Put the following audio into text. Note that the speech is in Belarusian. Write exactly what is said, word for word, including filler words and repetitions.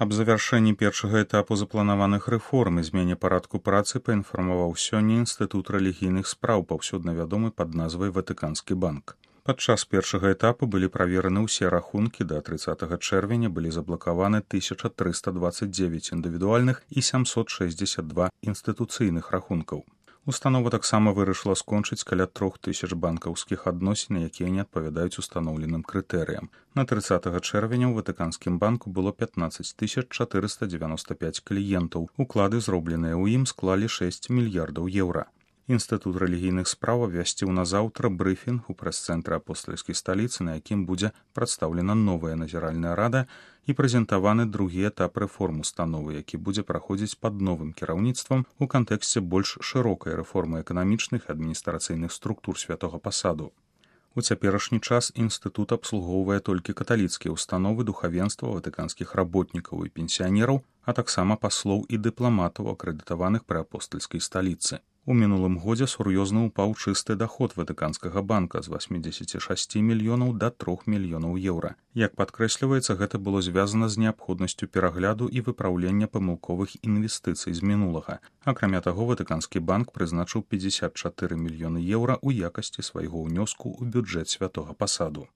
Аб завяршэнні першага этапу запланаваных рэформ і змене парадку працы паінфармаваў сёння Інстытут рэлігійных спраў, паўсюдна вядомы пад назвай Ватыканскі банк. Падчас першага этапу былі правераны ўсе рахункі, да трыццатага чэрвеня былі заблакаваны тысяча трыста дваццаць дзевяць індывідуальных і сямсот шэсцьдзесят два інстытуцыйных рахункаў. Установа таксама вырашыла скончыць каля трох тысяч банкаўскіх адносін, якія не адпавядаюць устаноўленым крытэрыям. На трыццатага чэрвеня ў Ватыканскім банку было пятнаццаць тысяч чатырыста дзевяноста пяць кліентаў. Уклады, зробленыя ў ім, склалі шэсць мільярдаў еўра. Інстытут рэлігійных спраў абвясціў на заўтра брыфінг у прэс-цэнтры апостальскай сталіцы, на якім будзе прадстаўлена новая назіральная рада і прэзентаваны другі этап рэформ установы, які будзе праходзіць пад новым кіраўніцтвам у кантэксце больш шырокай рэформы эканамічных і адміністрацыйных структур святога пасаду. У цяперашні час інстытут абслугоўвае толькі каталіцкія ўстановы духавенства, ватыканскіх работнікаў і пенсіянераў, а таксама паслоў і дыпламатаў, акрэдытаваных пры апостальскай сталіцы. У мінулым годзе сур'ёзна ўпаў чысты даход Ватыканскага банка з васьмідзесяці шасці мільёнаў да трох мільёнаў еўра. Як падкрэсліваецца, гэта было звязана з неабходнасцю перагляду і выпраўлення памылковых інвестыцый з мінулага. Акрамя таго, Ватыканскі банк прызначыў пятьдесят чатыры мільёны еўра ў якасці свайго ўнёску ў бюджэт святога пасаду.